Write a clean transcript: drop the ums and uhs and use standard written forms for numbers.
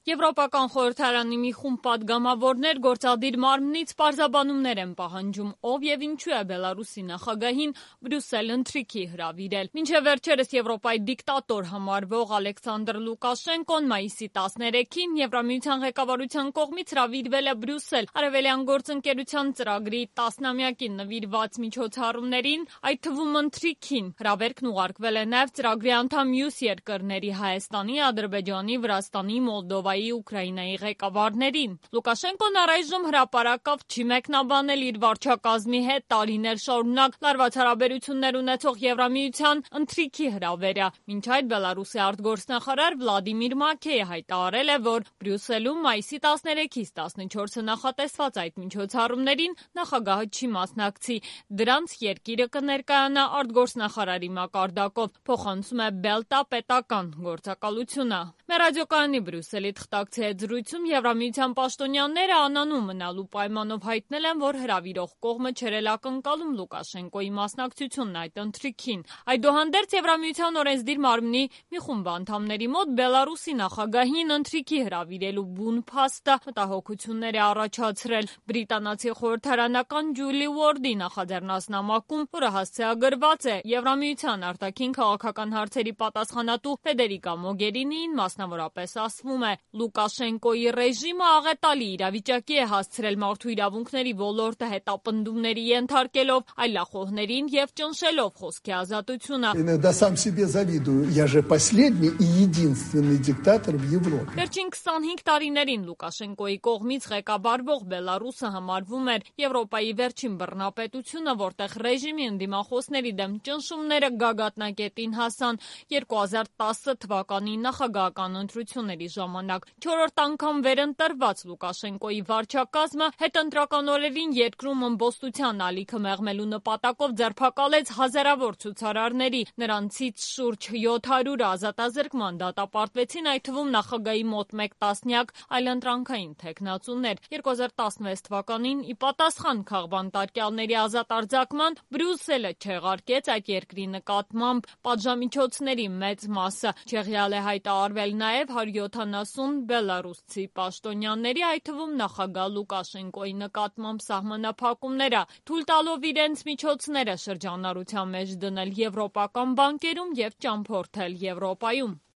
Եվրոպական խորհրդարանի մի խումբ պատգամավորներ գործադիր մարմնից պարզաբանումներ են պահանջում, ով եւ ինչու է Բելարուսի նախագահին Բրյուսել ընթրիքի հրավիրել։ Մինչև վերջերս Եվրոպայի դիկտատոր համարվող Ալեքսանդր Լուկաշենկոն մայիսի 13-ին Եվրամիության ղեկավարության կողմից հրավիրվել է Բրյուսել Արևելյան գործընկերության ծրագրի 10-ամյակին նվիրված միջոցառումներին, այդ թվում ընթրիքին։ Հրավերքն ուղարկվել է նաեւ ծրագրի անդամ մյուս երկրների Հայաստանի, Ադրբեջանի, Վրաստանի, Մոլդովայի, Ուկրաինայի ղեկավարներին։ Լուկաշենկոն առայժմ հրապարակավ չի մեկնաբանել իր վարչակազմի հետ տարիներ շարունակ լարված հարաբերություններ ունեցող Եվրամիության ընթրիքի հրավերը։ Մինչ այդ Բելարուսի արտգործնախարար Վլադիմիր Մակեյը հայտարարել է, որ Բրյուսելում մայիսի 13-ից 14-ը նախատեսված այդ միջոցառումներին նախագահը չի մասնակցի։ Դրանց երկիրը կներկայանա արտգործնախարարի մակարդակով, փոխանցում է Բելտա պետական գործակալությունը։ Մեր ռադիոկայանի Բրյուսելի թղթակցի հետ զրույցում Եվրամիության պաշտոնյաները անանուն մնալու պայմանով հայտնել են, որ հրավիրող կողմը չէր էլ ակնկալում Լուկաշենկոյի մասնակցությունն այդ ընթրիքին։ Այդուհանդերձ Եվրամիության օրենսդիր մարմնի մի խումբ անդամների մոտ Բելարուսի նախագահին ընթրիքի հրավիրելու բուն փաստը մտահոգություններ է առաջացրել։ Բրիտանացի խորհրդարանական Ջուլի Ուորդի նախաձեռնած նամակում, որը հասցեագրված է Եվրամիության արտաքին քաղաքական հարցերի պատասխանատու Ֆեդերիկա Մոգերինիին, մասնավորապես ասվում է. Լուկաշենկոյի ռեժիմը աղետալի իրավիճակի է հասցրել մարդու իրավունքների ոլորտը հետապնդումների ենթարկելով, այլախոհներին եւ ճնշելով խոսքի ազատությունը։ Վերջին 25 տարիներին Լուկաշենկոյի կողմից ղեկավարվող Բելարուսը համարվում էր Եվրոպայի վերջին բռնապետությունը, որտեղ ռեժիմի ընդդիմախոսների դեմ ճնշումները գագաթնակետին հասան 2010 թվականի նախագահական ընտրությունների ժամանակ։ 4-րդ անգամ վերընտրված Լուկաշենկոյի վարչակազմը հետընտրական օրերին երկրում ըմբոստության ալիքը մեղմելու նպատակով ձերբակալեց հազարավոր ցուցարարների, նրանցից շուրջ 700 ազատազրկման դատապարտվեցին, այդ թվում նախագահի մոտ 1 տասնյակ այլընտրանքային թեկնածուներ։ 2016 թվականին ի պատասխան քաղբանտարկյալների ազատ արձակման Բրյուսելը չեղարկեց այդ երկրի նկատմամբ պատժամիջոցների մեծ մասը։ Չեղյալ է հայտարարվել նաև 170 բելարուսցի պաշտոնյաների, այդ թվում նախագահ Լուկաշենկոյի նկատմամբ սահմանափակումները, թույլ տալով իրենց միջոցները շրջանառության մեջ դնել եվրոպական բանկերում եւ ճամփորդել Եվրոպայում։